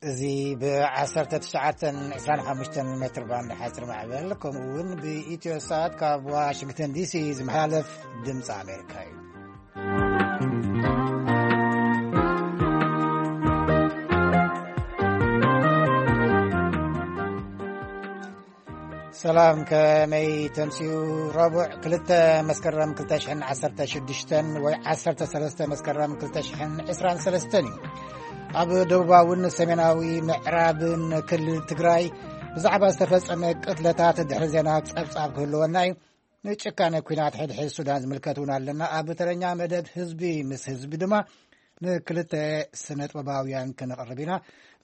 እዚ ብ19 25 ሜትር ባንድ ሓፂር ማዕበል፣ ከምኡ እውን ብኢትዮ ሳት ካብ ዋሽንግተን ዲሲ ዝመሓላለፍ ድምፂ ኣሜሪካ እዩ። ሰላም፣ ከመይ ተምስዩ? ረቡዕ ክልተ መስከረም ክልተ ሽሕን ዓሰርተ ሽዱሽተን ወይ ዓሰርተ ሰለስተ መስከረም ክልተ ሽሕን ዕስራን ሰለስተን እዩ። ኣብ ደቡባውን ሰሜናዊ ምዕራብን ክልል ትግራይ ብዛዕባ ዝተፈጸመ ቅትለታት ድሕሪ ዜና ጸብጻብ ክህልወና እዩ። ንጭካነ ኲናት ሕድሕድ ሱዳን ዝምልከት እውን ኣለና። ኣብ ተረኛ መደብ ህዝቢ ምስ ህዝቢ ድማ ንክልተ ስነ ጥበባውያን ከነቕርብ ኢና።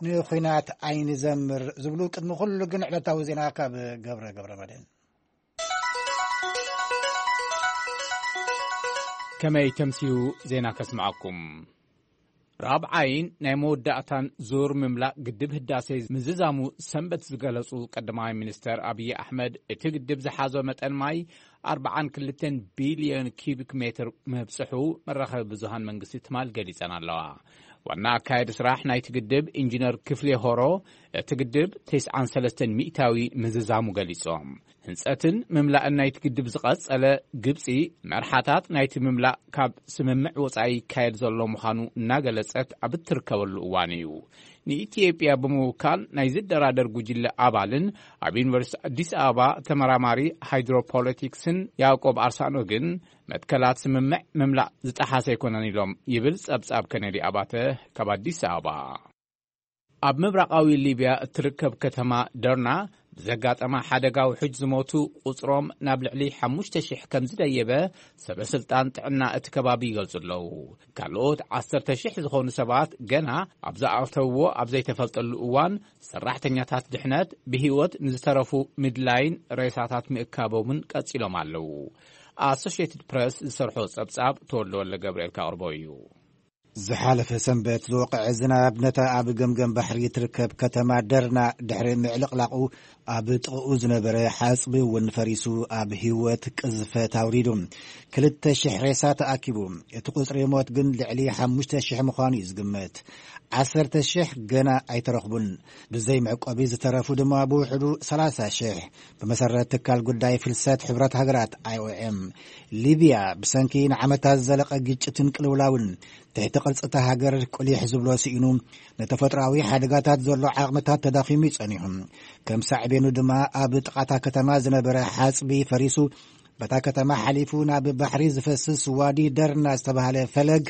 ንኹናት ኣይንዘምር ዝብሉ። ቅድሚ ኩሉ ግን ዕለታዊ ዜና ካብ ገብረ ገብረ መድህን። ከመይ ተምስዩ ዜና ከስምዓኩም። ራብዓይን ናይ መወዳእታን ዙር ምምላእ ግድብ ህዳሴ ምዝዛሙ ሰንበት ዝገለጹ ቀዳማይ ሚኒስተር ኣብይ ኣሕመድ፣ እቲ ግድብ ዝሓዞ መጠን ማይ ኣርባዓን ክልተን ቢልዮን ኪቢክ ሜትር ምብጽሑ መራኸቢ ብዙሃን መንግስቲ ትማል ገሊጸን ኣለዋ። ዋና ኣካየዲ ስራሕ ናይቲ ግድብ ኢንጂነር ክፍሌ ሆሮ፣ እቲ ግድብ ተስዓን ሰለስተን ሚእታዊ ምዝዛሙ ገሊጾም። ህንጸትን ምምላእን ናይቲ ግድብ ዝቐጸለ ግብጺ፣ መርሓታት ናይቲ ምምላእ ካብ ስምምዕ ወጻኢ ይካየድ ዘሎ ምዃኑ እናገለጸት ኣብ እትርከበሉ እዋን እዩ። ንኢትዮጵያ ብምውካል ናይ ዝደራደር ጉጅለ ኣባልን ኣብ ዩኒቨርሲቲ ኣዲስ ኣበባ ተመራማሪ ሃይድሮፖለቲክስን ያዕቆብ ኣርሳኖ ግን፣ መትከላት ስምምዕ ምምላእ ዝጠሓሰ ኣይኮነን ኢሎም ይብል ጸብጻብ ከነዲ ኣባተ ካብ ኣዲስ ኣበባ። ኣብ ምብራቓዊ ሊብያ እትርከብ ከተማ ደርና ብዘጋጠማ ሓደጋ ውሑጅ ዝሞቱ ቁጽሮም ናብ ልዕሊ ሓሙሽተ ሽሕ ከም ዝደየበ ሰበ ስልጣን ጥዕና እቲ ከባቢ ይገልጹ ኣለዉ። ካልኦት ዓሰርተ ሽሕ ዝኾኑ ሰባት ገና ኣብ ዝኣተውዎ ኣብ ዘይተፈልጠሉ እዋን፣ ሰራሕተኛታት ድሕነት ብህይወት ንዝተረፉ ምድላይን ሬሳታት ምእካቦምን ቀጺሎም ኣለዉ። ኣሶሽየትድ ፕረስ ዝሰርሖ ጸብጻብ ተወልደ ወልደ ገብርኤል ካቕርቦ እዩ። ዝሓለፈ ሰንበት ዝወቕዐ ዝናብ ነታ ኣብ ገምገም ባሕሪ እትርከብ ከተማ ደርና ድሕሪ ምዕልቕላቑ፣ ኣብ ጥቕኡ ዝነበረ ሓጽቢ እውን ፈሪሱ ኣብ ህይወት ቅዝፈት ኣውሪዱ። ክልተ ሽሕ ሬሳ ተኣኪቡ። እቲ ቁጽሪ ሞት ግን ልዕሊ ሓሙሽተ ሽሕ ምዃኑ እዩ ዝግመት። ዓሰርተ ሽሕ ገና ኣይተረኽቡን። ብዘይ መዕቆቢ ዝተረፉ ድማ ብውሕዱ ሰላሳ ሽሕ። ብመሰረት ትካል ጉዳይ ፍልሰት ሕብረት ሃገራት፣ ኣይ ኦ ኤም፣ ሊብያ ብሰንኪ ንዓመታት ዝዘለቐ ግጭትን ቅልውላውን፣ ትሕቲ ቅርጺ እታ ሃገር ቁሊሕ ዝብሎ ስኢኑ፣ ንተፈጥሮኣዊ ሓደጋታት ዘሎ ዓቕምታት ተዳኺሙ እዩ ጸኒሑ። ከም ሳዕቤኑ ድማ ኣብ ጥቓታ ከተማ ዝነበረ ሓጽቢ ፈሪሱ፣ በታ ከተማ ሓሊፉ ናብ ባሕሪ ዝፈስስ ዋዲ ደርና ዝተባህለ ፈለግ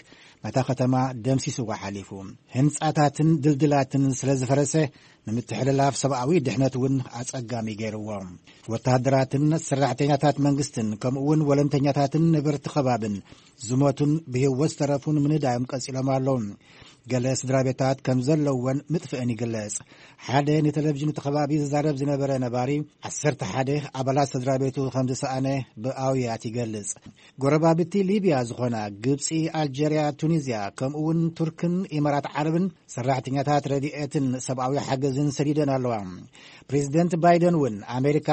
ነታ ከተማ ደምሲስዋ ሓሊፉ። ህንጻታትን ድልድላትን ስለ ዝፈረሰ፣ ንምትሕልላፍ ሰብኣዊ ድሕነት እውን ኣጸጋሚ ገይርዎ። ወተሃደራትን ሰራሕተኛታት መንግስትን ከምኡ እውን ወለንተኛታትን ነበርቲ ከባብን ዝሞቱን ብህይወት ዝተረፉን ምንዳዮም ቀጺሎም ኣለዉ። ገለ ስድራ ቤታት ከም ዘለወን ምጥፍእን ይግለጽ። ሓደ ንቴሌቪዥን እቲ ከባቢ ዝዛረብ ዝነበረ ነባሪ፣ ዓሰርተ ሓደ ኣባላት ስድራ ቤቱ ከም ዝሰኣነ ብኣውያት ይገልጽ። ጎረባብቲ ሊብያ ዝኾና ግብጺ፣ ኣልጀርያ፣ ቱኒዝያ፣ ከምኡ እውን ቱርክን ኢማራት ዓረብን ሰራሕተኛታት ረድኤትን ሰብኣዊ ሓገዝን ሰዲደን ኣለዋ። ፕሬዚደንት ባይደን እውን ኣሜሪካ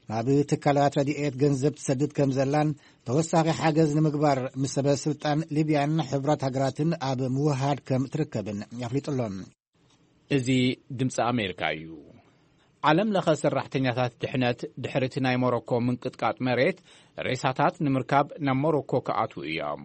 ናብ ትካላት ረድኤት ገንዘብ ትሰድድ ከም ዘላን ተወሳኺ ሓገዝ ንምግባር ምስ ሰበ ስልጣን ሊብያን ሕቡራት ሃገራትን ኣብ ምውሃድ ከም ትርከብን ኣፍሊጡ ኣሎ። እዚ ድምፂ ኣሜሪካ እዩ። ዓለም ለኸ ሰራሕተኛታት ድሕነት ድሕሪ እቲ ናይ ሞሮኮ ምንቅጥቃጥ መሬት ሬሳታት ንምርካብ ናብ ሞሮኮ ክኣትዉ እዮም።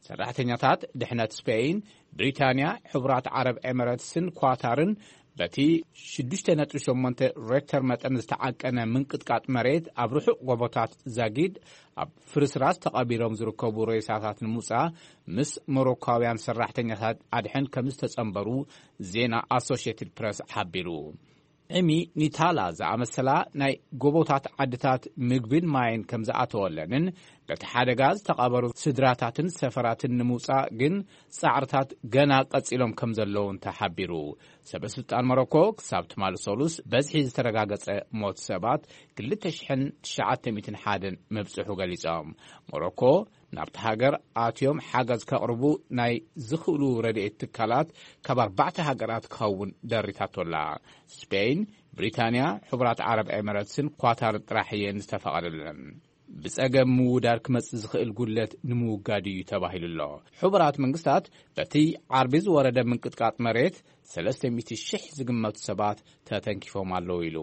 ሰራሕተኛታት ድሕነት ስፔይን፣ ብሪታንያ፣ ሕቡራት ዓረብ ኤሚሬትስን ኳታርን በቲ ሽዱሽተ ነጥቢ ሸሞንተ ሬክተር መጠን ዝተዓቀነ ምንቅጥቃጥ መሬት ኣብ ርሑቕ ጎቦታት ዛጊድ ኣብ ፍርስራስ ተቐቢሮም ዝርከቡ ሬሳታት ንምውጻእ ምስ ሞሮኳውያን ሰራሕተኛታት ኣድሕን ከም ዝተጸንበሩ ዜና ኣሶሽየትድ ፕረስ ሓቢሩ። ዕሚ ኒታላ ዝኣመሰላ ናይ ጎቦታት ዓድታት ምግብን ማይን ከም ዝኣተወለንን በቲ ሓደጋ ዝተቐበሩ ስድራታትን ሰፈራትን ንምውጻእ ግን ጻዕርታት ገና ቀጺሎም ከም ዘለውን ተሓቢሩ። ሰበ ስልጣን ሞሮኮ ክሳብ ትማሊ ሰሉስ በዝሒ ዝተረጋገጸ ሞት ሰባት ክልተ ሽሕን ትሽዓተ ሚእትን ሓደን ምብጽሑ ገሊጾም። ሞሮኮ ናብቲ ሃገር ኣትዮም ሓገዝ ከቕርቡ ናይ ዝኽእሉ ረድኤት ትካላት ካብ ኣርባዕተ ሃገራት ክኸውን ደሪታቶላ። ስፔን፣ ብሪታንያ፣ ሕቡራት ዓረብ ኤሚረትስን ኳታርን ጥራሕ እየን ዝተፈቐደለን። ብጸገም ምውዳድ ክመጽእ ዝኽእል ጉድለት ንምውጋድ እዩ ተባሂሉ ኣሎ። ሕቡራት መንግስታት በቲ ዓርቢ ዝወረደ ምንቅጥቃጥ መሬት ሰለስተ ሚእቲ ሺሕ ዝግመቱ ሰባት ተተንኪፎም ኣለዉ ኢሉ።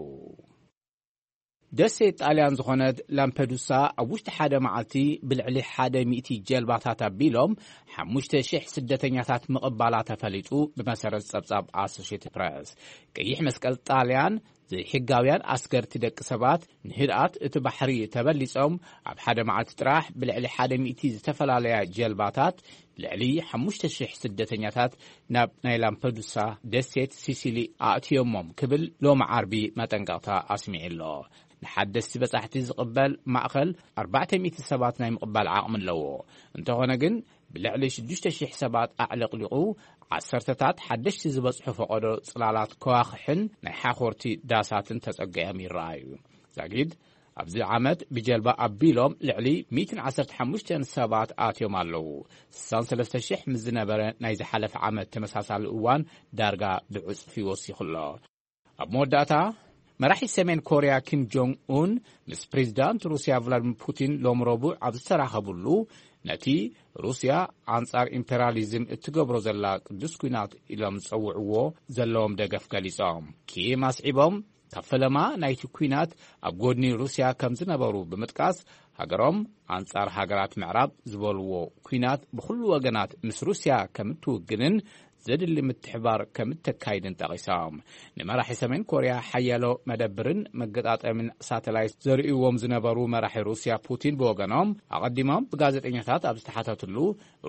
ደሴት ጣልያን ዝኾነት ላምፐዱሳ ኣብ ውሽጢ ሓደ መዓልቲ ብልዕሊ ሓደ ሚእቲ ጀልባታት ኣቢሎም ሓሙሽተ ሽሕ ስደተኛታት ምቕባላ ተፈሊጡ። ብመሰረት ጸብጻብ ኣሶሽየትድ ፕረስ፣ ቀይሕ መስቀል ጣልያን ዘይሕጋውያን ኣስገርቲ ደቂ ሰባት ንህድኣት እቲ ባሕሪ ተበሊጾም ኣብ ሓደ መዓልቲ ጥራሕ ብልዕሊ ሓደ ሚእቲ ዝተፈላለያ ጀልባታት ልዕሊ ሓሙሽተ ሽሕ ስደተኛታት ናብ ናይ ላምፐዱሳ ደሴት ሲሲሊ ኣእትዮሞም ክብል ሎሚ ዓርቢ መጠንቀቕታ ኣስሚዑ ኣሎ። ንሓደስቲ በጻሕቲ ዝቕበል ማእኸል ኣርባዕተ ሚእቲ ሰባት ናይ ምቕባል ዓቕሚ ኣለዎ። እንተኾነ ግን ብልዕሊ ሽዱሽተ ሽሕ ሰባት ኣዕለቕሊቑ፣ ዓሰርተታት ሓደሽቲ ዝበጽሑ ፈቐዶ ጽላላት ከዋኽሕን ናይ ሓኾርቲ ዳሳትን ተጸጊዖም ይረኣዩ። ዛጊድ ኣብዚ ዓመት ብጀልባ ኣቢሎም ልዕሊ ሚእትን ዓሰርተ ሓሙሽተን ሰባት ኣትዮም ኣለዉ። ስሳን ሰለስተ ሽሕ ምስ ዝነበረ ናይ ዝሓለፈ ዓመት ተመሳሳሊ እዋን ዳርጋ ብዕጽፊ ወሲኹ ኣሎ። ኣብ መወዳእታ፣ መራሒ ሰሜን ኮርያ ኪም ጆንግ ኡን ምስ ፕሬዚዳንት ሩስያ ቭላድሚር ፑቲን ሎም ረቡዕ ኣብ ዝተራኸቡሉ፣ ነቲ ሩስያ ኣንጻር ኢምፔሪያሊዝም እትገብሮ ዘላ ቅዱስ ኲናት ኢሎም ዝጸውዕዎ ዘለዎም ደገፍ ገሊጾም። ኪም ኣስዒቦም፣ ካብ ፈለማ ናይቲ ኲናት ኣብ ጎድኒ ሩስያ ከም ዝነበሩ ብምጥቃስ፣ ሃገሮም ኣንጻር ሃገራት ምዕራብ ዝበልዎ ኲናት ብኹሉ ወገናት ምስ ሩስያ ከም እትውግንን ዘድሊ ምትሕባር ከም እተካይድን ጠቒሶም። ንመራሒ ሰሜን ኮርያ ሓያሎ መደብርን መገጣጠምን ሳተላይት ዘርእይዎም ዝነበሩ መራሒ ሩስያ ፑቲን ብወገኖም፣ ኣቐዲሞም ብጋዜጠኛታት ኣብ ዝተሓተትሉ፣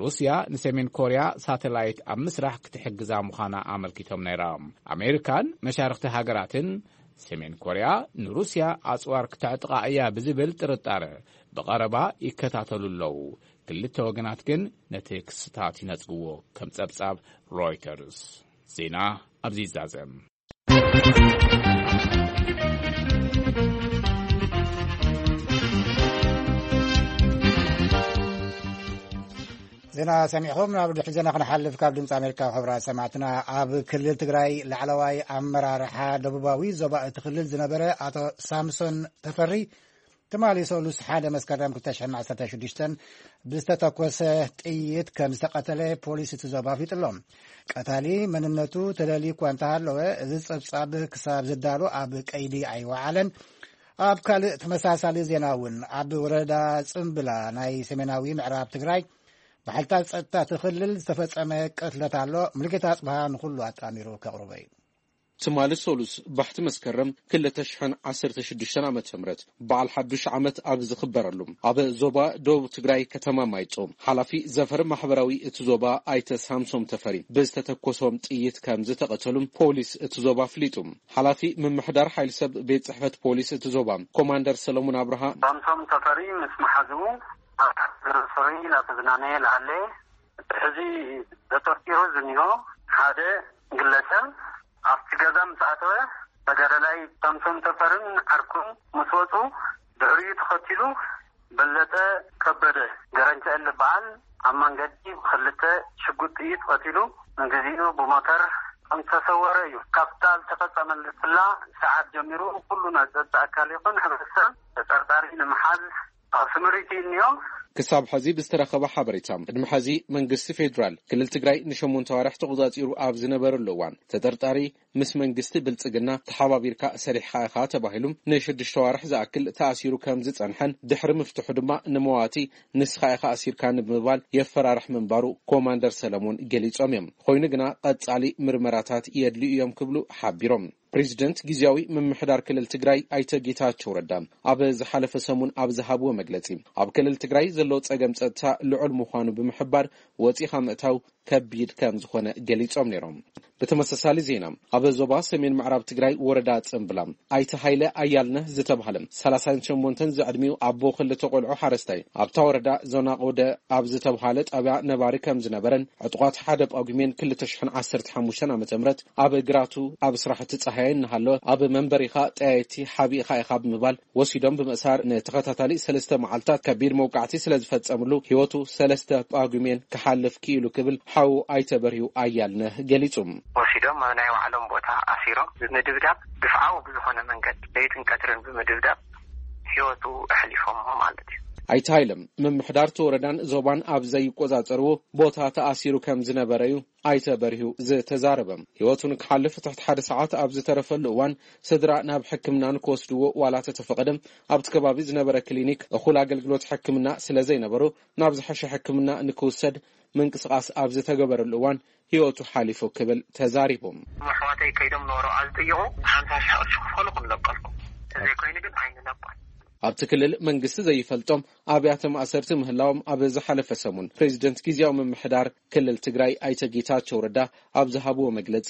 ሩስያ ንሰሜን ኮርያ ሳተላይት ኣብ ምስራሕ ክትሕግዛ ምዃና ኣመልኪቶም ነይሮም። ኣሜሪካን መሻርኽቲ ሃገራትን ሰሜን ኮርያ ንሩስያ ኣጽዋር ክተዕጥቓ እያ ብዝብል ጥርጣረ ብቐረባ ይከታተሉ ኣለዉ። ክልተ ወገናት ግን ነቲ ክስታት ይነጽግዎ፣ ከም ጸብጻብ ሮይተርስ። ዜና ኣብዚ ይዛዘም። ዜና ሰሚዕኹም። ናብ ድሕሪ ዜና ክንሓልፍ፣ ካብ ድምፂ ኣሜሪካ፣ ክቡራት ሰማዕትና፣ ኣብ ክልል ትግራይ ላዕለዋይ ኣመራርሓ ደቡባዊ ዞባ እቲ ክልል ዝነበረ ኣቶ ሳምሶን ተፈሪ ትማሊ ሰሉስ ሓደ መስከረም ክልተ ሽሕን ዓሰርተ ሽዱሽተን ብዝተተኮሰ ጥይት ከም ዝተቐተለ ፖሊስ እቲ ዞባ ኣፍሊጡ ኣሎ። ቀታሊ መንነቱ ተለልዩ እኳ እንተሃለወ፣ እዚ ጸብጻብ ክሳብ ዝዳሎ ኣብ ቀይዲ ኣይወዓለን። ኣብ ካልእ ተመሳሳሊ ዜና እውን፣ ኣብ ወረዳ ጽምብላ ናይ ሰሜናዊ ምዕራብ ትግራይ ብሓይልታት ጸጥታ እቲ ክልል ዝተፈጸመ ቅትለት ኣሎ። ሙሉጌታ ኣጽብሃ ንኹሉ ኣጣሚሩ ከቕርቦ እዩ። ትማሊ ሰሉስ ባሕቲ መስከረም ክልተ ሽሕን ዓሰርተ ሽዱሽተን ዓመተ ምህረት በዓል ሓዱሽ ዓመት ኣብ ዝኽበረሉ፣ ኣብ ዞባ ደቡብ ትግራይ ከተማ ማይጨው፣ ሓላፊ ዘፈር ማሕበራዊ እቲ ዞባ ኣይተ ሳምሶም ተፈሪ ብዝተተኮሶም ጥይት ከም ዝተቐተሉ ፖሊስ እቲ ዞባ ኣፍሊጡ። ሓላፊ ምምሕዳር ሓይሊ ሰብ ቤት ጽሕፈት ፖሊስ እቲ ዞባ ኮማንደር ሰለሙን ኣብርሃ፣ ሳምሶም ተፈሪ ምስ መሓዝኡ ኣብ ሓደ ግሮሰሪ እናተዝናነየ ለሃለ፣ ሕዚ ተጠርጢሩ ዝኒሆ ሓደ ግለሰብ ኣብቲ ገዛ ምስ ኣተወ፣ ተጋዳላይ ሳምሶን ተፈርን ዓርኩን ምስ ወፁ፣ ድሕሪኡ ተኸቲሉ በለጠ ከበደ ገረንጨ ዝበሃል ኣብ መንገዲ ብክልተ ሽጉጥ ጥይት ቀቲሉ፣ ንግዚኡ ብሞተር ከም ዝተሰወረ እዩ። ካብታ ዝተፈጸመትላ ሰዓት ጀሚሩ ኩሉ ናይ ጸጥታ ኣካል ይኹን ሕብረተሰብ ተጠርጣሪ ንምሓዝ ኣብ ስምሪት እዩ እኒኦ። ክሳብ ሕዚ ብዝተረኸበ ሓበሬታ፣ ቅድሚ ሕዚ መንግስቲ ፌዴራል ክልል ትግራይ ንሸሞንተ ዋርሕ ተቖጻጺሩ ኣብ ዝነበረሉ እዋን፣ ተጠርጣሪ ምስ መንግስቲ ብልጽግና ተሓባቢርካ ሰሪሕኻ ኢኻ ተባሂሉ ንሽዱሽተ ዋርሕ ዝኣክል ተኣሲሩ ከም ዝጸንሐን፣ ድሕሪ ምፍትሑ ድማ ንመዋቲ ንስኻ ኢኻ ኣሲርካኒ ብምባል የፈራርሕ ምንባሩ ኮማንደር ሰለሞን ገሊጾም እዮም። ኮይኑ ግና ቀጻሊ ምርመራታት የድልዩ እዮም ክብሉ ሓቢሮም። ፕሬዚደንት ግዝያዊ ምምሕዳር ክልል ትግራይ ኣይተ ጌታቸው ረዳ ኣብ ዝሓለፈ ሰሙን ኣብ ዝሃብዎ መግለጺ፣ ኣብ ክልል ትግራይ ዘሎ ጸገም ጸጥታ ልዑል ምዃኑ ብምሕባር፣ ወጺኻ ምእታው ከቢድ ከም ዝኾነ ገሊጾም ነይሮም። ብተመሳሳሊ ዜና፣ ኣብ ዞባ ሰሜን ምዕራብ ትግራይ ወረዳ ጽምብላ ኣይተ ሃይለ ኣያልነህ ዝተባህለ ሰላሳን ሸሞንተን ዝዕድሚኡ ኣቦ ክልተ ቆልዑ ሓረስታይ፣ ኣብታ ወረዳ ዞና ቆደ ኣብ ዝተባህለ ጣብያ ነባሪ ከም ዝነበረን፣ ዕጡቓት ሓደ ጳጉሜን ክልተ ሽሕን ዓሰርተ ሓሙሽተን ዓመተ ምህረት ኣብ ግራቱ ኣብ ስራሕቲ ጸሃየ እናሃለወ፣ ኣብ መንበሪኻ ጠያይቲ ሓቢእኻ ኢኻ ብምባል ወሲዶም ብምእሳር፣ ንተኸታታሊ ሰለስተ መዓልታት ከቢድ መውቃዕቲ ስለ ዝፈጸምሉ፣ ህይወቱ ሰለስተ ጳጉሜን ክሓልፍ ክኢሉ ክብል ሓዉ ኣይተ በርሂው ኣያልነህ ገሊጹ። ወሲዶም ኣብ ናይ ባዕሎም ቦታ ኣሲሮም ብምድብዳብ፣ ግፍዓዊ ብዝኾነ መንገድ ለይትን ቀትርን ብምድብዳብ፣ ህይወቱ ኣሕሊፎሞ ማለት እዩ። ኣይተ ሃይለ፣ ምምሕዳር እቲ ወረዳን ዞባን ኣብ ዘይቆጻጸርዎ ቦታ ተኣሲሩ ከም ዝነበረ እዩ ኣይተ በርሂ ዝተዛረበ። ህይወቱ ንክሓልፍ ትሕቲ ሓደ ሰዓት ኣብ ዝተረፈሉ እዋን፣ ስድራ ናብ ሕክምና ንክወስድዎ ዋላ ተተፈቐደ፣ ኣብቲ ከባቢ ዝነበረ ክሊኒክ እኹል ኣገልግሎት ሕክምና ስለ ዘይነበሮ፣ ናብ ዝሐሸ ሕክምና ንክውሰድ ምንቅስቓስ ኣብ ዝተገበረሉ እዋን ህይወቱ ሓሊፉ ክብል ተዛሪቡ። ኣሕዋተይ ከይዶም ንወረቓ ዝጥይቑ ሓምሳ ሺሕ ቅርሺ ክፈሉ ክንለቀልኩም፣ ተዘይኮይኑ ግን ኣይንለቆን። ኣብቲ ክልል መንግስቲ ዘይፈልጦም ኣብያተ ማእሰርቲ ምህላዎም ኣብ ዝሓለፈ ሰሙን ፕሬዚደንት ግዝያዊ ምምሕዳር ክልል ትግራይ ኣይተ ጌታቸው ረዳ ኣብ ዝሃብዎ መግለጺ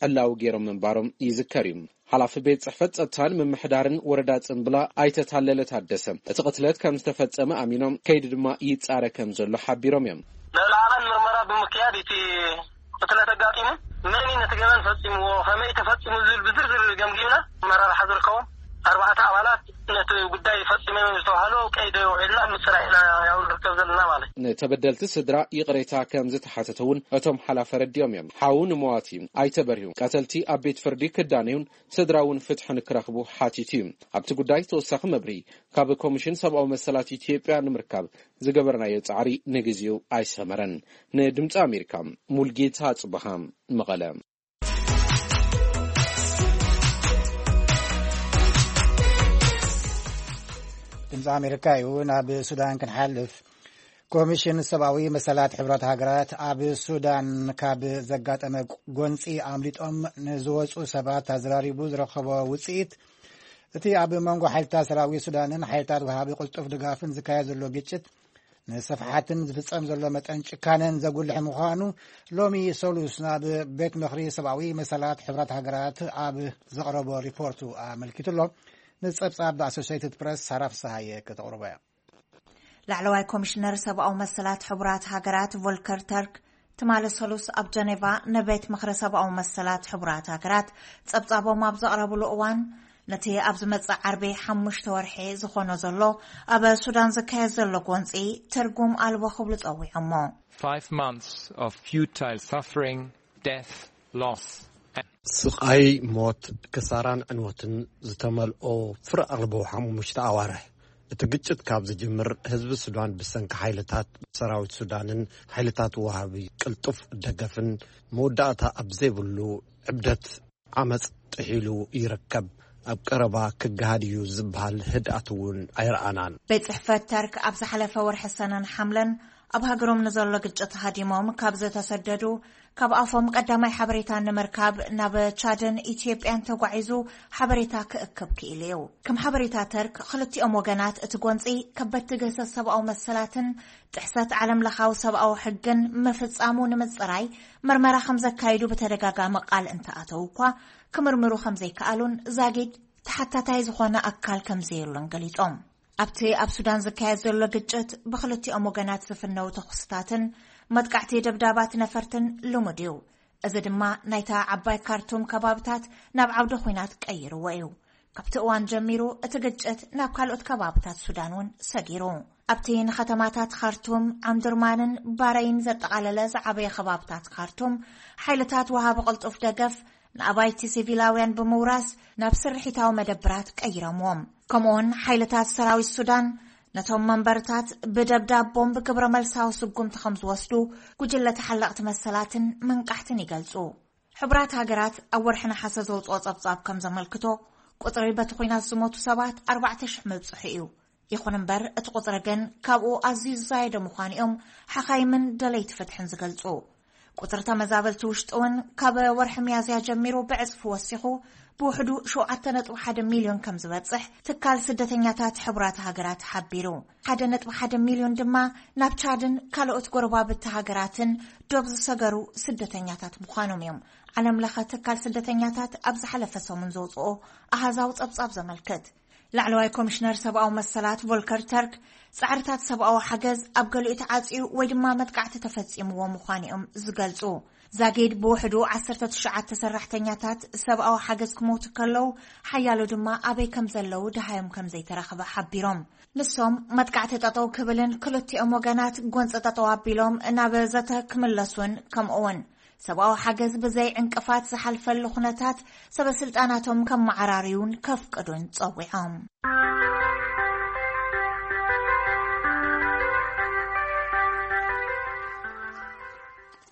ዕላዊ ገይሮም ምንባሮም ይዝከር እዩ። ሓላፊ ቤት ጽሕፈት ጸጥታን ምምሕዳርን ወረዳ ጽምብላ ኣይተ ታለለ ታደሰ፣ እቲ ቅትለት ከም ዝተፈጸመ ኣሚኖም፣ ከይዲ ድማ ይጻረ ከም ዘሎ ሓቢሮም እዮም። ልዕሊ ዓቐን ምርመራ ብምክያድ እቲ ቅትለት ኣጋጢሙ፣ መን እዩ ነቲ ገበን ፈጺምዎ፣ ከመይ ተፈጺሙ ዝብል ብዝርዝር ገምጊምና፣ ኣመራርሓ ዝርከቦም ኣርባዕተ ኣባላት ነቲ ጉዳይ ፈጺሞም ዝተባህሉ ቀይዲ ውዒልና ምጽራይ ኢና ያው ንርከብ ዘለና ማለት እዩ። ንተበደልቲ ስድራ ይቕሬታ ከም ዝተሓተተ እውን እቶም ሓላፊ ኣረዲኦም እዮም። ሓው ንመዋቲ ኣይተ በርሂ፣ ቀተልቲ ኣብ ቤት ፍርዲ ክዳነዩን ስድራ እውን ፍትሒ ንክረኽቡ ሓቲቱ እዩ። ኣብቲ ጉዳይ ተወሳኺ መብርሂ ካብ ኮሚሽን ሰብኣዊ መሰላት ኢትዮጵያ ንምርካብ ዝገበርናዮ ጻዕሪ ንግዜኡ ኣይሰመረን። ንድምጺ ኣሜሪካ፣ ሙልጌታ ጽበሃ፣ መቐለ። ድምፂ ኣሜሪካ እዩ። ናብ ሱዳን ክንሓልፍ፣ ኮሚሽን ሰብኣዊ መሰላት ሕብረት ሃገራት ኣብ ሱዳን ካብ ዘጋጠመ ጎንፂ ኣምሊጦም ንዝወፁ ሰባት ኣዘራሪቡ ዝረኸቦ ውፅኢት፣ እቲ ኣብ መንጎ ሓይልታት ሰራዊት ሱዳንን ሓይልታት ወሃቢ ቅልጡፍ ድጋፍን ዝካየድ ዘሎ ግጭት ንስፍሓትን ዝፍጸም ዘሎ መጠን ጭካነን ዘጉልሕ ምዃኑ ሎሚ ሰሉስ ናብ ቤት ምኽሪ ሰብኣዊ መሰላት ሕብረት ሃገራት ኣብ ዘቕረቦ ሪፖርቱ ኣመልኪቱ ኣሎ። ንጸብጻብ ኣሶሲየትድ ፕረስ ሳራ ፍስሃየ ከተቕርቦ እያ። ላዕለዋይ ኮሚሽነር ሰብኣዊ መሰላት ሕቡራት ሃገራት ቮልከር ተርክ ትማሊ ሰሉስ ኣብ ጀኔቫ ንቤት ምኽሪ ሰብኣዊ መሰላት ሕቡራት ሃገራት ጸብጻቦም ኣብ ዘቕረብሉ እዋን፣ ነቲ ኣብ ዝመጽእ ዓርቢ ሓሙሽተ ወርሒ ዝኾኖ ዘሎ ኣብ ሱዳን ዝካየድ ዘሎ ጎንጺ ትርጉም ኣልቦ ክብሉ ጸዊዖሞ። Five months of futile suffering, death, loss. ስቓይ፣ ሞት፣ ክሳራን ዕንወትን ዝተመልኦ ፍረ ኣልቦ ሓሙሽተ ኣዋርሕ። እቲ ግጭት ካብ ዝጅምር፣ ህዝቢ ሱዳን ብሰንኪ ሓይልታት ሰራዊት ሱዳንን ሓይልታት ወሃቢ ቅልጡፍ ደገፍን መወዳእታ ኣብ ዘይብሉ ዕብደት ዓመጽ ጥሒሉ ይርከብ። ኣብ ቀረባ ክገሃድ እዩ ዝበሃል ህድኣት እውን ኣይረኣናን። ቤት ጽሕፈት ተርክ ኣብ ዝሓለፈ ወርሒ ሰነን ሓምለን ኣብ ሃገሮም ንዘሎ ግጭት ሃዲሞም ካብ ዝተሰደዱ፣ ካብ ኣፎም ቀዳማይ ሓበሬታ ንምርካብ ናብ ቻድን ኢትዮጵያን ተጓዒዙ ሓበሬታ ክእክብ ክኢሉ እዩ። ከም ሓበሬታ ተርክ፣ ክልቲኦም ወገናት እቲ ጎንጺ ከበድቲ ግህሰት ሰብኣዊ መሰላትን ጥሕሰት ዓለም ለኻዊ ሰብኣዊ ሕግን ምፍጻሙ ንምጽራይ መርመራ ከም ዘካይዱ ብተደጋጋሚ ቃል እንተኣተዉ እኳ፣ ክምርምሩ ከም ዘይከኣሉን ዛጊድ ተሓታታይ ዝኾነ ኣካል ከም ዘየሎን ገሊጾም። ኣብቲ ኣብ ሱዳን ዝካየድ ዘሎ ግጭት ብኽልቲኦም ወገናት ዝፍነው ተኹስታትን መጥቃዕቲ ደብዳባት ነፈርትን ልሙድ እዩ። እዚ ድማ ናይታ ዓባይ ካርቱም ከባብታት ናብ ዓውደ ኹናት ቀይርዎ እዩ። ካብቲ እዋን ጀሚሩ እቲ ግጭት ናብ ካልኦት ከባብታት ሱዳን እውን ሰጊሩ። ኣብቲ ንኸተማታት ካርቱም፣ ዓምዱርማንን ባረይን ዘጠቓለለ ዝዓበየ ከባብታት ካርቱም፣ ሓይልታት ወሃቢ ቅልጡፍ ደገፍ ንኣባይቲ ሲቪላውያን ብምውራስ ናብ ስርሒታዊ መደብራት ቀይሮምዎም። ከምኡውን ሓይልታት ሰራዊት ሱዳን ነቶም መንበርታት ብደብዳብ ቦምብ ግብረ መልሳዊ ስጉምቲ ከም ዝወስዱ ጉጅለ ተሓለቕቲ መሰላትን መንቃሕትን ይገልጹ። ሕቡራት ሃገራት ኣብ ወርሒ ነሓሰ ዘውጽኦ ጸብጻብ ከም ዘመልክቶ፣ ቁጽሪ በቲ ኹናት ዝሞቱ ሰባት ኣርባዕተ ሽሕ ምብጽሑ እዩ። ይኹን እምበር፣ እቲ ቁጽሪ ግን ካብኡ ኣዝዩ ዝዛየደ ምዃኑ እዮም ሓኻይምን ደለይቲ ፍትሕን ዝገልጹ። ቁጽሪ ተመዛበልቲ ውሽጢ እውን ካብ ወርሒ ሚያዝያ ጀሚሩ ብዕጽፊ ወሲኹ ብውሕዱ ሸውዓተ ነጥቢ ሓደ ሚልዮን ከም ዝበጽሕ ትካል ስደተኛታት ሕቡራት ሃገራት ሓቢሩ። ሓደ ነጥቢ ሓደ ሚልዮን ድማ ናብ ቻድን ካልኦት ጎረባብቲ ሃገራትን ዶብ ዝሰገሩ ስደተኛታት ምዃኖም እዮም ዓለም ለኸ ትካል ስደተኛታት ኣብ ዝሓለፈ ሰሙን ዘውጽኦ ኣሃዛዊ ጸብጻብ ዘመልክት። ላዕለዋይ ኮሚሽነር ሰብኣዊ መሰላት ቮልከር ተርክ፣ ጻዕርታት ሰብኣዊ ሓገዝ ኣብ ገሊኡ ተዓጽዩ ወይ ድማ መጥቃዕቲ ተፈጺምዎ ምዃኑ እዮም ዝገልጹ። ዛጊድ ብውሕዱ ዓሰርተ ትሽዓተ ሰራሕተኛታት ሰብኣዊ ሓገዝ ክሞቱ ከለዉ፣ ሓያሎ ድማ ኣበይ ከም ዘለዉ ደሃዮም ከም ዘይተረኽበ ሓቢሮም። ንሶም መጥቃዕቲ ጠጠው ክብልን ክልቲኦም ወገናት ጎንፂ ጠጠው ኣቢሎም ናብ ዘተ ክምለሱን፣ ከምኡ እውን ሰብኣዊ ሓገዝ ብዘይ ዕንቅፋት ዝሓልፈሉ ኩነታት ሰበ ስልጣናቶም ከመዓራርዩን ከፍቅዱን ጸዊዖም።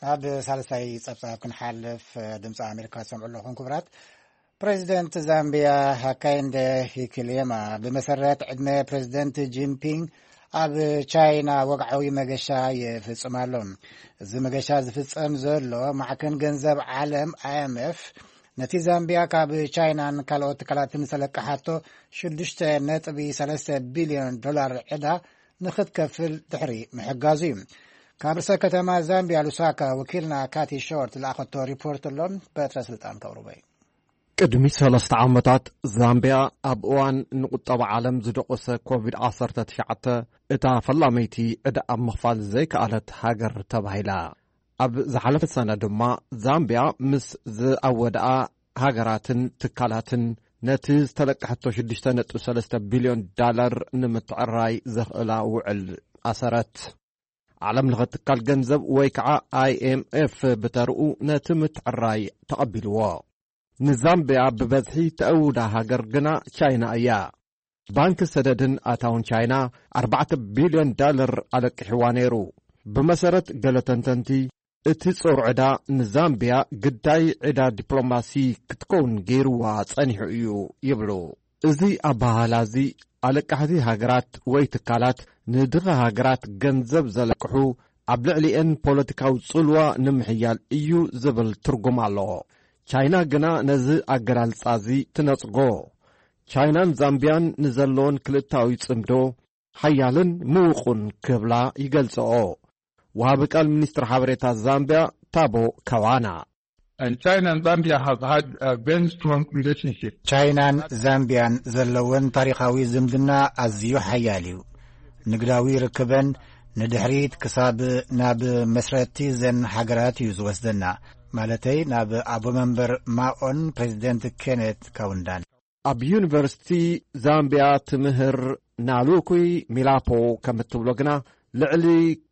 ናብ ሳልሳይ ጸብጻብ ክንሓልፍ፣ ድምፂ ኣሜሪካ ትሰምዑ ኣለኹም። ክቡራት፣ ፕሬዚደንት ዛምቢያ ሃካይንደ ሂኪሌማ ብመሰረት ዕድመ ፕሬዚደንት ጂንፒንግ ኣብ ቻይና ወግዓዊ መገሻ ይፍጽም ኣሎ። እዚ መገሻ ዝፍጸም ዘሎ ማዕከን ገንዘብ ዓለም፣ ኣይኤምኤፍ፣ ነቲ ዛምቢያ ካብ ቻይናን ካልኦት ትካላትን ዝተለቀሓቶ ሽዱሽተ ነጥቢ ሰለስተ ቢልዮን ዶላር ዕዳ ንኽትከፍል ድሕሪ ምሕጋዙ እዩ። ካብ ርእሰ ከተማ ዛምቢያ ሉሳካ ወኪልና ካቲ ሾርት ዝለኣኸቶ ሪፖርት ኣሎ። በትረ ስልጣን ከቕርቦ እዩ። ቅድሚ ሰለስተ ዓመታት ዛምቢያ ኣብ እዋን ንቁጠባ ዓለም ዝደቆሰ ኮቪድ ዓሰርተ ትሽዓተ እታ ፈላመይቲ ዕዳ ኣብ ምኽፋል ዘይከኣለት ሃገር ተባሂላ። ኣብ ዝሓለፈ ሰነ ድማ ዛምቢያ ምስ ዝኣወድኣ ሃገራትን ትካላትን ነቲ ዝተለቀሐቶ ሽዱሽተ ነጥቢ ሰለስተ ቢልዮን ዳላር ንምትዕራይ ዘኽእላ ውዕል ኣሰረት። ዓለም ለኸ ትካል ገንዘብ ወይ ከዓ ኣይኤምኤፍ ብተርኡ ነቲ ምትዕራይ ተቐቢልዎ። ንዛምቢያ ብበዝሒ ተእውዳ ሃገር ግና ቻይና እያ። ባንኪ ሰደድን ኣታውን ቻይና ኣርባዕተ ቢልዮን ዳለር ኣለቂሕዋ ነይሩ። ብመሰረት ገለ ተንተንቲ፣ እቲ ጾር ዕዳ ንዛምቢያ ግዳይ ዕዳ ዲፕሎማሲ ክትከውን ገይርዋ ጸኒሑ እዩ ይብሉ። እዚ ኣበሃህላ እዚ ኣለቃሕቲ ሃገራት ወይ ትካላት ንድኻ ሃገራት ገንዘብ ዘለቅሑ ኣብ ልዕሊኤን ፖለቲካዊ ጽልዋ ንምሕያል እዩ ዝብል ትርጉም ኣለዎ። ቻይና ግና ነዚ ኣገላልጻ እዚ ትነጽጎ። ቻይናን ዛምቢያን ንዘለዎን ክልታዊ ጽምዶ ሓያልን ምውቑን ክብላ ይገልጽኦ። ወሃቢ ቃል ሚኒስትር ሓበሬታ ዛምቢያ ታቦ ካዋና። And China and Zambia have had a very strong relationship. ቻይናን ዛምቢያን ዘለወን ታሪኻዊ ዝምድና ኣዝዩ ሓያል እዩ። ንግዳዊ ርክበን ንድሕሪት ክሳብ ናብ መስረቲ ዘን ሃገራት እዩ ዝወስደና፣ ማለተይ ናብ ኣቦ መንበር ማኦን ፕሬዚደንት ኬኔት ካውንዳን። ኣብ ዩኒቨርሲቲ ዛምቢያ ትምህር ናሉኩይ ሚላፖ ከም እትብሎ ግና፣ ልዕሊ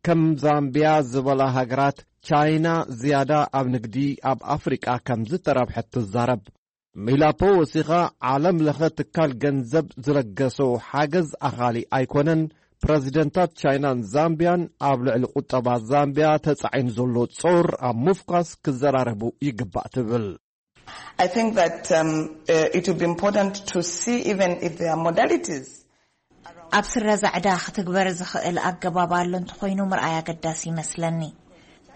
ከም ዛምቢያ ዝበላ ሃገራት ቻይና ዝያዳ ኣብ ንግዲ ኣብ ኣፍሪቃ ከም ዝተረብሐት ትዛረብ። ሚላፖ ወሲኻ፣ ዓለም ለኸ ትካል ገንዘብ ዝለገሶ ሓገዝ ኣኻሊ ኣይኮነን፣ ፕረዚደንታት ቻይናን ዛምቢያን ኣብ ልዕሊ ቁጠባ ዛምቢያ ተጻዒኑ ዘሎ ጾር ኣብ ምፍኳስ ክዘራረቡ ይግባእ ትብል። I think that um, uh, it would be important to see even if there are modalities ኣብ ስረዛ ዕዳ ክትግበር ዝኽእል ኣገባብ ኣሎ እንተኾይኑ ምርኣይ ኣገዳሲ ይመስለኒ።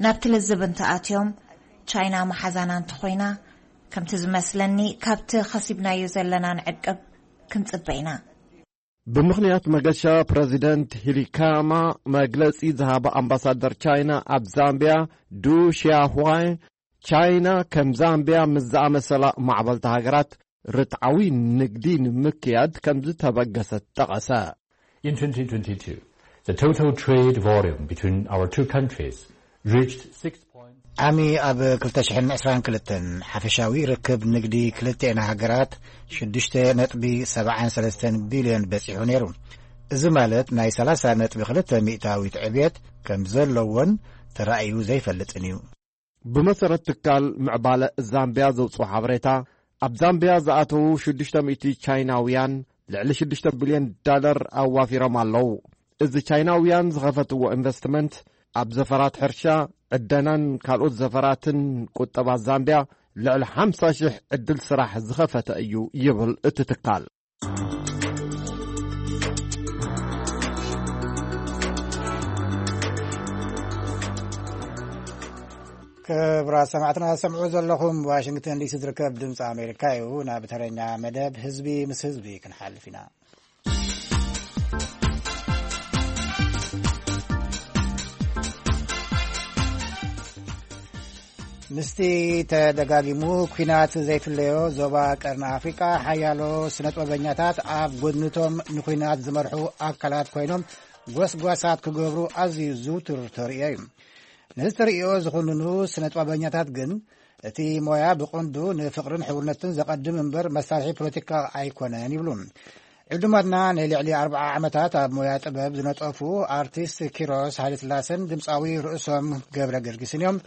ናብቲ ልዝብ እንተኣትዮም፣ ቻይና መሓዛና እንተኾይና፣ ከምቲ ዝመስለኒ ካብቲ ኸሲብናዮ ዘለና ንዕቅብ ክንጽበ ኢና። ብምኽንያት መገሻ ፕረዚደንት ሂሊካማ መግለጺ ዝሃባ ኣምባሳደር ቻይና ኣብ ዛምቢያ ዱ ሺያሁዋይ፣ ቻይና ከም ዛምቢያ ምስ ዝኣመሰላ ማዕበልቲ ሃገራት ርትዓዊ ንግዲ ንምክያድ ከም ዝተበገሰት ጠቐሰ። In twenty twenty-two, the total trade volume between our two countries reached six ዓሚ ኣብ ክልተ ሽሕን ዕስራን ክልተን ሓፈሻዊ ርክብ ንግዲ ክልተኤን ሃገራት ሽዱሽተ ነጥቢ ሰብዓን ሰለስተን ቢልዮን በጺሑ ነይሩ። እዚ ማለት ናይ ሰላሳ ነጥቢ ክልተ ሚእታዊት ዕብየት ከም ዘለዎን ተራእዩ ዘይፈልጥን እዩ። ብመሰረት ትካል ምዕባለ ዛምቢያ ዘውፅኦ ሓበሬታ፣ ኣብ ዛምቢያ ዝኣተዉ ሽዱሽተ ሚእቲ ቻይናውያን ልዕሊ ሽዱሽተ ቢልዮን ዳለር ኣዋፊሮም ኣለዉ። እዚ ቻይናውያን ዝኸፈትዎ ኢንቨስትመንት ኣብ ዘፈራት ሕርሻ፣ ዕደናን ካልኦት ዘፈራትን ቁጠባ ዛምቢያ ልዕሊ ሓምሳ ሽሕ ዕድል ስራሕ ዝኸፈተ እዩ ይብል እቲ ትካል። ክቡራት ሰማዕትና፣ ሰምዑ ዘለኹም ዋሽንግተን ዲሲ ዝርከብ ድምፂ ኣሜሪካ እዩ። ናብ ተረኛ መደብ ህዝቢ ምስ ህዝቢ ክንሓልፍ ኢና። ምስቲ ተደጋጊሙ ኲናት ዘይፍለዮ ዞባ ቀርኒ ኣፍሪቃ፣ ሓያሎ ስነጥበበኛታት ኣብ ጎድንቶም ንኲናት ዝመርሑ ኣካላት ኮይኖም ጎስጓሳት ክገብሩ ኣዝዩ ዝውቱር ተርእዮ እዩ። ነዚ ተርእዮ ዝኹንኑ ስነጥበበኛታት ግን፣ እቲ ሞያ ብቐንዱ ንፍቕርን ሕውነትን ዘቐድም እምበር መሳርሒ ፖለቲካ ኣይኮነን ይብሉ። ዕዱማትና ንልዕሊ ኣርብዓ ዓመታት ኣብ ሞያ ጥበብ ዝነጠፉ ኣርቲስት ኪሮስ ሃይለስላሰን ድምፃዊ ርእሶም ገብረ ገርጊስን እዮም።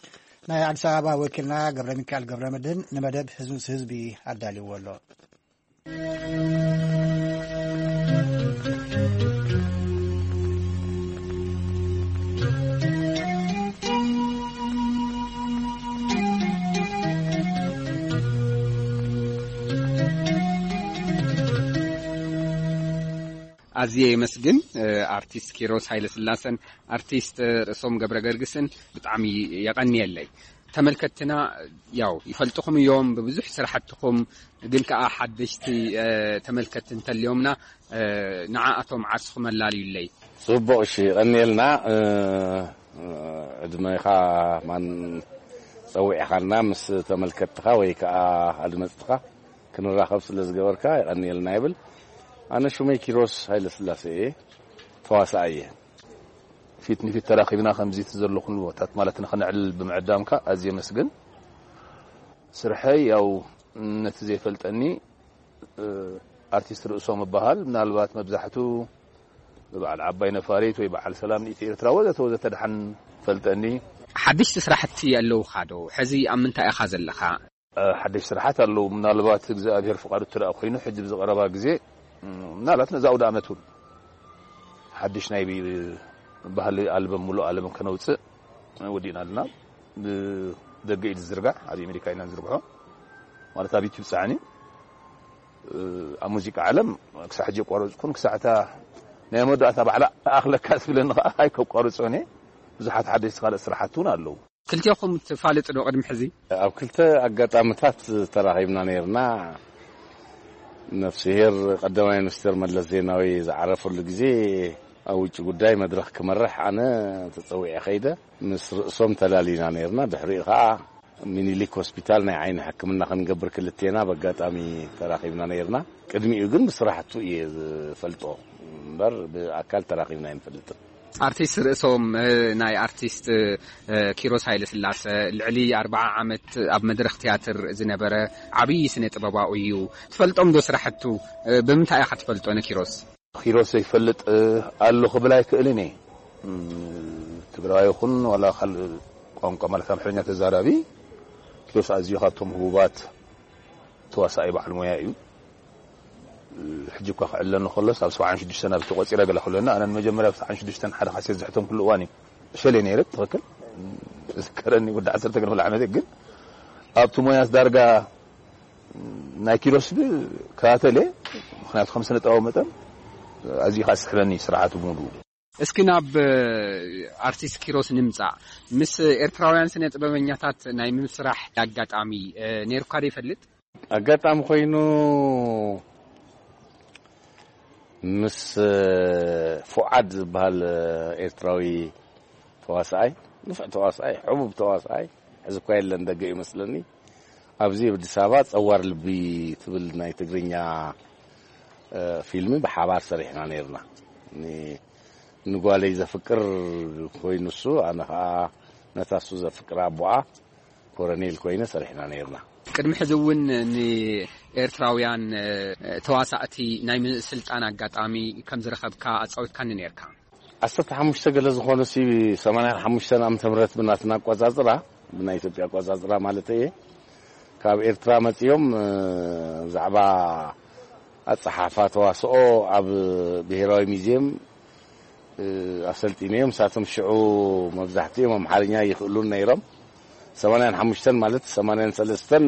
ናይ ኣዲስ ኣበባ ወኪልና ገብረ ሚካኤል ገብረ መድህን ንመደብ ህዝቢ ምስ ህዝቢ ኣዳልዎ ኣሎ። ኣዝየ የመስግን። ኣርቲስት ኪሮስ ሃይለስላሰን ኣርቲስት ርእሶም ገብረ ገርግስን ብጣዕሚ የቐንየለይ። ተመልከትና ያው ይፈልጥኹም እዮም፣ ብብዙሕ ስራሕትኹም፣ ግን ከኣ ሓደሽቲ ተመልከትቲ እንተልዮምና ንዓኣቶም ዓርስኹም ኣላልዩለይ። ጽቡቕ፣ እሺ፣ ቀንየልና። ዕድመኻ ማን ጸዊዕኻና ምስ ተመልከትትኻ ወይ ከኣ ኣድመጽትኻ ክንራኸብ ስለ ዝገበርካ የቐንየልና ይብል። ኣነ ሽመይ ኪሮስ ሃይለስላሴ እየ፣ ተዋሳኣይ እየ። ፊት ንፊት ተራኺብና ከምዚ እቲ ዘሎ ኩሉ ቦታት ማለት ንኽንዕልል ብምዕዳምካ ኣዝየ መስግን። ስርሐይ ያው ነቲ ዘይፈልጠኒ ኣርቲስት ርእሶም እበሃል። ምናልባት መብዛሕቱ ብበዓል ዓባይ ነፋሪት ወይ በዓል ሰላም ንኢቲ ኤርትራ ወዘተ ወዘተ ደሓን ፈልጠኒ። ሓደሽቲ ስራሕቲ ኣለውኻ ዶ? ሕዚ ኣብ ምንታይ ኢኻ ዘለኻ? ሓደሽ ስራሓት ኣለዉ። ምናልባት እግዚኣብሔር ፍቓዱ እተ ደኣ ኮይኑ ሕጂ ብዝቐረባ ግዜ ምናልባት ነዚ ኣውደ ዓመት እውን ሓድሽ ናይ ባህሊ ኣልበም ሙሉእ ኣለም ከነውፅእ ወዲእና ኣለና። ብደገ እዩ ዝዝርጋሕ፣ ኣብ ኣሜሪካ ኢና ንዝርግሖ፣ ማለት ኣብ ዩቲብ ፃዕኒ። ኣብ ሙዚቃ ዓለም ክሳዕ ሕጂ የቋረፅኩን፣ ክሳዕ እታ ናይ መወዳእታ ባዕላ ኣኽለካ ዝብለኒ ከዓ ኣይከቋርፆን እየ። ብዙሓት ሓደሽቲ ካልእ ስራሓት እውን ኣለዉ። ክልቴኹም ትፋለጡ ዶ ቅድሚ ሕዚ? ኣብ ክልተ ኣጋጣሚታት ተራኺብና ነይርና። ነፍስሄር ቀዳማይ ሚኒስትር መለስ ዜናዊ ዝዓረፈሉ ግዜ ኣብ ውጭ ጉዳይ መድረኽ ክመርሕ ኣነ ተጸዊዐ ከይደ፣ ምስ ርእሶም ተላሊና ነይርና። ድሕሪኡ ኸኣ ሚኒሊክ ሆስፒታል ናይ ዓይኒ ሕክምና ክንገብር ክልቴና ብኣጋጣሚ ተራኺብና ነይርና። ቅድሚኡ ግን ብስራሕቱ እየ ዝፈልጦ እምበር ብኣካል ተራኺብና ኣይንፈልጥን። ኣርቲስት ርእሶም ናይ ኣርቲስት ኪሮስ ሃይለስላሰ ልዕሊ ኣርብዓ ዓመት ኣብ መድረኽ ትያትር ዝነበረ ዓብዪ ስነ ጥበባዊ እዩ። ትፈልጦም ዶ ስራሕቱ? ብምንታይ ኢኻ ትፈልጦ ንኪሮስ? ኪሮስ ዘይፈልጥ ኣሎ ክብል ኣይክእልን እየ። ትግራዊ ይኹን ዋላ ካልእ ቋንቋ ማለት ኣምሓርኛ ተዛራቢ ኪሮስ ኣዝዩ ካብቶም ህቡባት ተዋሳኣይ በዓል ሞያ እዩ። ሕጂ እኳ ክዕለኒ ከሎስ ኣብ ሰብዓን ሽዱሽተን ኣብ ተቆጺረ ገለ ክብለና፣ ኣነ ንመጀመርያ ኣብ ሰብዓን ሽዱሽተን ሓደ ካሴት ዝሕተምኩሉ እዋን እዩ። ሸሌ ነይረ ትኽክል ዝከረኒ ወዲ ዓሰርተ ገለ ዓመት ግን ኣብቲ ሞያስ ዳርጋ ናይ ኪሮስ ብ ከታተለ፣ ምኽንያቱ ከም ስነ ጥበባዊ መጠን ኣዝዩ ከዓ ዝስሕበኒ ስርሓቱ ብምሉኡ። እስኪ ናብ ኣርቲስት ኪሮስ ንምጻእ። ምስ ኤርትራውያን ስነ ጥበበኛታት ናይ ምስራሕ ኣጋጣሚ ነይርካ ዶ ይፈልጥ? ኣጋጣሚ ኮይኑ ምስ ፉዓድ ዝበሃል ኤርትራዊ ተዋሳኣይ፣ ንፍዕ ተዋሳኣይ፣ ሕቡብ ተዋሳኣይ፣ ሕዚ እኳ የለን፣ ደገ እዩ መስለኒ። ኣብዚ ኣብ ኣዲስ ኣበባ ጸዋር ልቢ ትብል ናይ ትግርኛ ፊልሚ ብሓባር ሰሪሕና ነይርና። ንጓለይ ዘፍቅር ኮይኑ እሱ፣ ኣነ ኸዓ ነታ እሱ ዘፍቅራ ኣቦኣ ኮረኔል ኮይነ ሰሪሕና ነይርና። ቅድሚ ሕዚ እውን ንኤርትራውያን ተዋሳእቲ ናይ ምስልጣን ኣጋጣሚ ከም ዝረኸብካ ኣጻዊትካኒ ነይርካ። ዓሰርተ ሓሙሽተ ገለ ዝኾኑ ሲ ሰማንያን ሓሙሽተን ዓመተ ምህረት ብናትና ኣቋጻጽራ፣ ብናይ ኢትዮጵያ ኣቋጻጽራ ማለት እየ፣ ካብ ኤርትራ መጺኦም ብዛዕባ ኣጸሓሕፋ ተዋስኦ ኣብ ብሄራዊ ሚዝየም ኣሰልጢነዮም። ንሳቶም ሽዑ መብዛሕትኦም ኣምሓርኛ ይኽእሉን ነይሮም። ሰማንያን ሓሙሽተን ማለት ሰማንያን ሰለስተን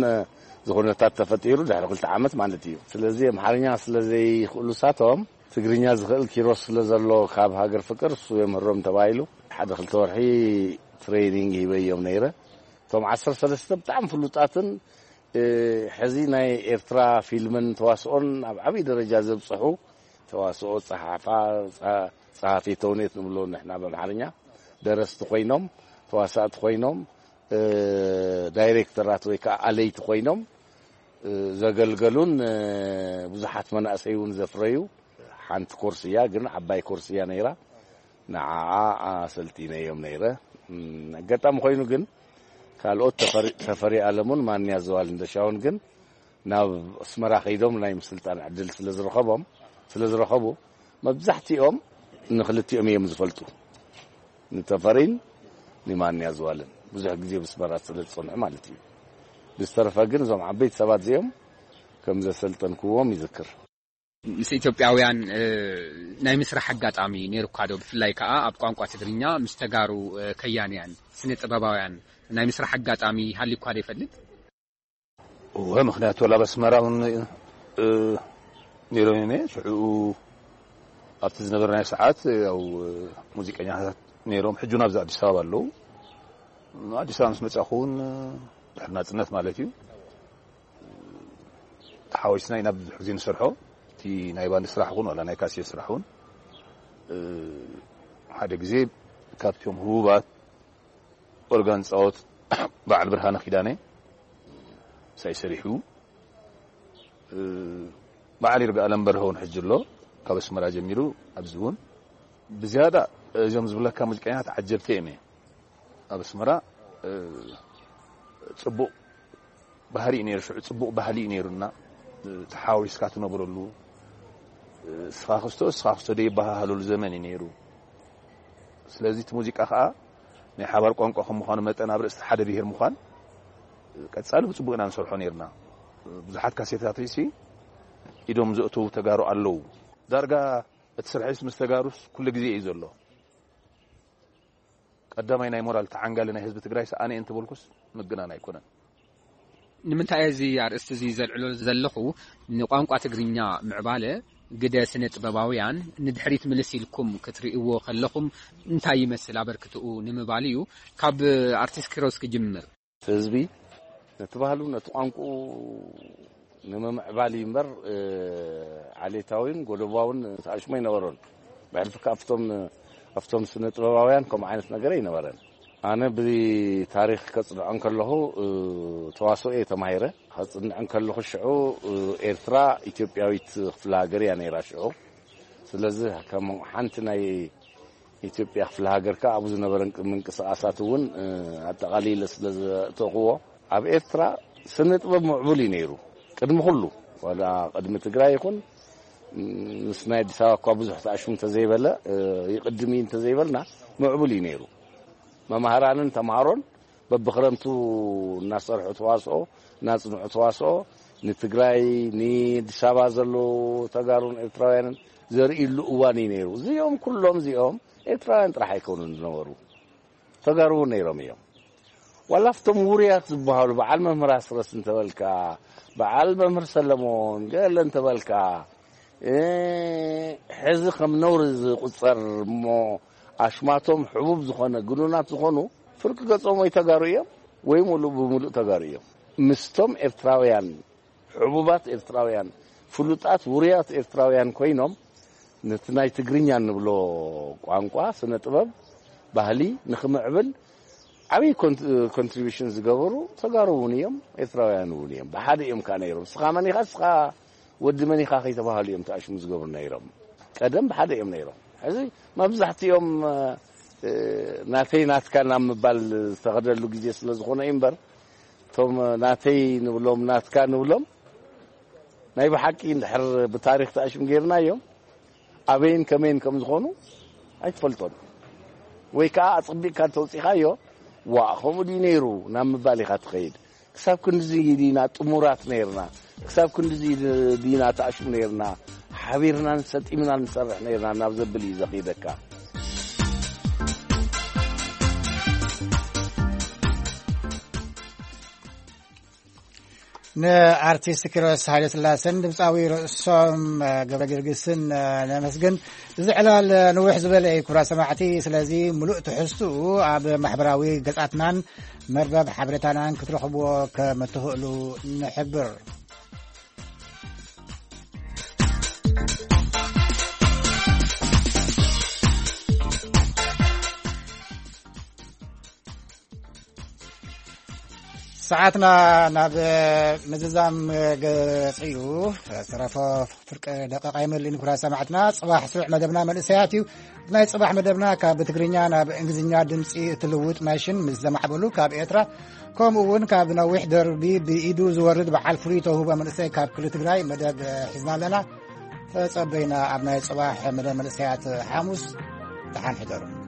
እዚ ኩነታት ተፈጢሩ ድሕሪ ክልተ ዓመት ማለት እዩ። ስለዚ ኣምሓርኛ ስለ ዘይኽእሉ ንሳቶም ትግርኛ ዝኽእል ኪሮስ ስለ ዘሎ ካብ ሃገር ፍቅር እሱ የምህሮም ተባሂሉ ሓደ ክልተ ወርሒ ትሬኒንግ ሂበዮም ነይረ። እቶም ዓሰርተ ሰለስተ ብጣዕሚ ፍሉጣትን ሕዚ ናይ ኤርትራ ፊልምን ተዋስኦን ኣብ ዓብዪ ደረጃ ዘብፅሑ ተዋስኦ ፀሓፋ፣ ፀ-፣ ፀሓፊ ተውኔት ንብሎ ንሕና ብኣምሓርኛ፣ ደረስቲ ኮይኖም፣ ተዋሳእቲ ኮይኖም፣ ዳይሬክተራት ወይ ከዓ ኣለይቲ ኮይኖም ዘገልገሉን ብዙሓት መናእሰይ እውን ዘፍረዩ ሓንቲ ኮርስ እያ፣ ግን ዓባይ ኮርስ እያ ነይራ። ንዓኣ ኣሰልጢነዮም ነይረ። ኣጋጣሚ ኮይኑ ግን ካልኦት ተፈሪ ኣለሙን ማንያ ዘዋል እንደሻውን ግን ናብ ኣስመራ ከይዶም ናይ ምስልጣን ዕድል ስለ ዝረኸቦም ስለ ዝረኸቡ መብዛሕትኦም ንክልቲኦም እዮም ዝፈልጡ፣ ንተፈሪን ንማንያ ዘዋልን ብዙሕ ግዜ ብስመራ ስለ ዝጸንሑ ማለት እዩ። ብዝተረፈ ግን እዞም ዓበይቲ ሰባት እዚኦም ከም ዘሰልጠንክዎም ይዝክር። ምስ ኢትዮጵያውያን ናይ ምስራሕ ኣጋጣሚ ነይሩካ ዶ? ብፍላይ ከኣ ኣብ ቋንቋ ትግርኛ ምስ ተጋሩ ከያንያን ስነ ጥበባውያን ናይ ምስራሕ ኣጋጣሚ ሃሊኳ ዶ ይፈልጥ? እወ፣ ምኽንያቱ ኣብ ኣስመራ እውን ነይሮም እዮም። ሽዑ ኣብቲ ዝነበርናዮ ሰዓት ያው ሙዚቀኛታት ነይሮም። ሕጂ እውን ኣብዚ ኣዲስ ኣበባ ኣለዉ። ኣዲስ ኣበባ ምስ መጻኹ እውን ድሕሪ ናጽነት ማለት እዩ፣ ተሓዋዊስና ኢና ብዙሕ ግዜ ንሰርሖ። እቲ ናይ ባንድ ስራሕ እውን ዋላ ናይ ካሴት ስራሕ እውን ሓደ ግዜ ካብቶም ህቡባት ኦርጋን ጻወት በዓል ብርሃነ ኪዳነ ሳይ ሰሪሑ፣ በዓል ይርጋ ኣለም በርሀ እውን ሕጂ ኣሎ። ካብ ኣስመራ ጀሚሩ ኣብዚ እውን ብዝያዳ እዞም ዝብለካ ሙዚቀኛታት ዓጀብቲ እዮም። ኣብ ኣስመራ ጽቡቕ ባህሪ እዩ ነይሩ። ሽዑ ጽቡቕ ባህሊ እዩ ነይሩና። ተሓዋዊስካ ትነብረሉ፣ ስኻ ክስቶ ስኻ ክስቶ ደይበሃሃለሉ ዘመን እዩ ነይሩ። ስለዚ እቲ ሙዚቃ ከዓ ናይ ሓባር ቋንቋ ከም ምዃኑ መጠን ኣብ ርእሲ ሓደ ብሄር ምዃን ቀጻሊ ብጽቡቕ ኢና ንሰርሖ ነይርና። ብዙሓት ካሴታት ርእሲ ኢዶም ዘእተዉ ተጋሩ ኣለዉ። ዳርጋ እቲ ስርሒስ ምስ ተጋሩስ ኩሉ ግዜ እዩ ዘሎ። ቀዳማይ ናይ ሞራል ተዓንጋሊ ናይ ህዝቢ ትግራይ ኣነ እየ እንተበልኩስ ምግናን ኣይኮነን። ንምንታይ እዚ ኣርእስቲ እዚ ዘልዕሎ ዘለኹ፣ ንቋንቋ ትግርኛ ምዕባለ ግደ ስነ ጥበባውያን ንድሕሪት ምልስ ኢልኩም ክትርእይዎ ከለኹም እንታይ ይመስል ኣበርክትኡ ንምባል እዩ። ካብ ኣርቲስት ኪሮስ ክጅምር። ህዝቢ ነቲ ባህሉ ነቲ ቋንቋኡ ንምምዕባል እዩ እምበር ዓሌታዊን ጎደባውን ተኣሽሞ ኣይነበሮን። ብሕልፊ ከኣ ኣብቶም ኣብቶም ስነ ጥበባውያን ከምኡ ዓይነት ነገር ኣይነበረን። ኣነ ብታሪኽ ከጽንዖ እንከለኹ ተዋስኦ እየ ተማሂረ። ከጽንዕ እንከለኹ ሽዑ ኤርትራ ኢትዮጵያዊት ክፍለ ሃገር እያ ነይራ ሽዑ። ስለዚ ከም ሓንቲ ናይ ኢትዮጵያ ክፍለ ሃገር ከኣ ኣብኡ ዝነበረ ምንቅስቓሳት እውን ኣጠቓሊለ ስለ ዘእተኹዎ ኣብ ኤርትራ ስነ ጥበብ ምዕቡል እዩ ነይሩ። ቅድሚ ኩሉ ዋላ ቅድሚ ትግራይ ይኹን ምስ ናይ ኣዲስ ኣበባ እኳ ብዙሕ ተኣሽሙ እንተዘይበለ ይቕድም እዩ እንተዘይበልና ምዕቡል እዩ ነይሩ። መማህራንን ተምሃሮን በብኽረምቱ እናሰርሑ ተዋስኦ እናጽንዑ ተዋስኦ ንትግራይ ንኣዲስ ኣበባ ዘለዉ ተጋሩን ኤርትራውያንን ዘርእይሉ እዋን እዩ ነይሩ። እዚኦም ኩሎም እዚኦም ኤርትራውያን ጥራሕ ኣይኮኑን ዝነበሩ፣ ተጋሩ እውን ነይሮም እዮም። ዋላ ኣብቶም ውሩያት ዝበሃሉ በዓል መምህር ኣስረስ እንተበልካ፣ በዓል መምህር ሰለሞን ገለ እንተበልካ፣ ሕዚ ከም ነውሪ ዝቁጸር እሞ ኣሽማቶም ሕቡብ ዝኾነ ግኑናት ዝኾኑ ፍርቂ ገጾም ወይ ተጋሩ እዮም ወይ ሙሉእ ብምሉእ ተጋሩ እዮም። ምስቶም ኤርትራውያን ሕቡባት ኤርትራውያን ፍሉጣት ውሩያት ኤርትራውያን ኮይኖም ነቲ ናይ ትግርኛ እንብሎ ቋንቋ ስነ ጥበብ ባህሊ ንክምዕብል ዓብዪ ኮንትሪቢሽን ዝገበሩ ተጋሩ እውን እዮም ኤርትራውያን እውን እዮም። ብሓደ እዮም ከዓ ነይሮም። ስኻ መን ኢኻ ስኻ ወዲ መን ኢኻ ከይተባሃሉ እዮም ተኣሽሙ ዝገብሩ ነይሮም። ቀደም ብሓደ እዮም ነይሮም። ሕዚ መብዛሕትኦም ናተይ ናትካ ናብ ምባል ዝተኸደሉ ግዜ ስለ ዝኾነ እዩ እምበር እቶም ናተይ ንብሎም ናትካ ንብሎም ናይ ብሓቂ እንድሕር ብታሪኽ ተኣሽም ጌርናዮም ኣበይን ከመይን ከም ዝኾኑ ኣይትፈልጦን። ወይ ከዓ ኣጸቢቕካ እንተውጺኻዮ ዋእ ከምኡ ድዩ ነይሩ ናብ ምባል ኢኻ ትኸይድ። ክሳብ ክንድዚ ዲና ጥሙራት ነይርና፣ ክሳብ ክንድዚ ዲና ተኣሽሙ ነይርና፣ ሓቢርናን ሰጢምናን ንሰርሕ ነይርና ናብ ዘብል እዩ ዘኺደካ። ንኣርቲስት ኪሮስ ሃይለስላሰን ድምፃዊ ርእሶም ገብረ ጊዮርጊስን ነመስግን። እዚ ዕላል ንውሕ ዝበለ እዩ ክቡራት ሰማዕቲ። ስለዚ ሙሉእ ትሕዝትኡ ኣብ ማሕበራዊ ገጻትናን መርበብ ሓበሬታናን ክትረኽብዎ ከም እትኽእሉ ንሕብር። ሰዓትና ናብ ምዝዛም ገጽ እዩ። ዝተረፈ ፍርቂ ደቂቕ ኣይመልእን። ክቡራት ሰማዕትና፣ ጽባሕ ስሩዕ መደብና መንእሰያት እዩ። ናይ ጽባሕ መደብና ካብ ብትግርኛ ናብ እንግሊዝኛ ድምጺ እትልውጥ ማሽን ምስ ዘማዕበሉ ካብ ኤርትራ፣ ከምኡ እውን ካብ ነዊሕ ደርቢ ብኢዱ ዝወርድ በዓል ፍሉይ ተውህቦ መንእሰይ ካብ ክልል ትግራይ መደብ ሒዝና ኣለና። ተጸበዩና ኣብ ናይ ጽባሕ መደብ መንእሰያት ሓሙስ። ደሓን ሕደሩ።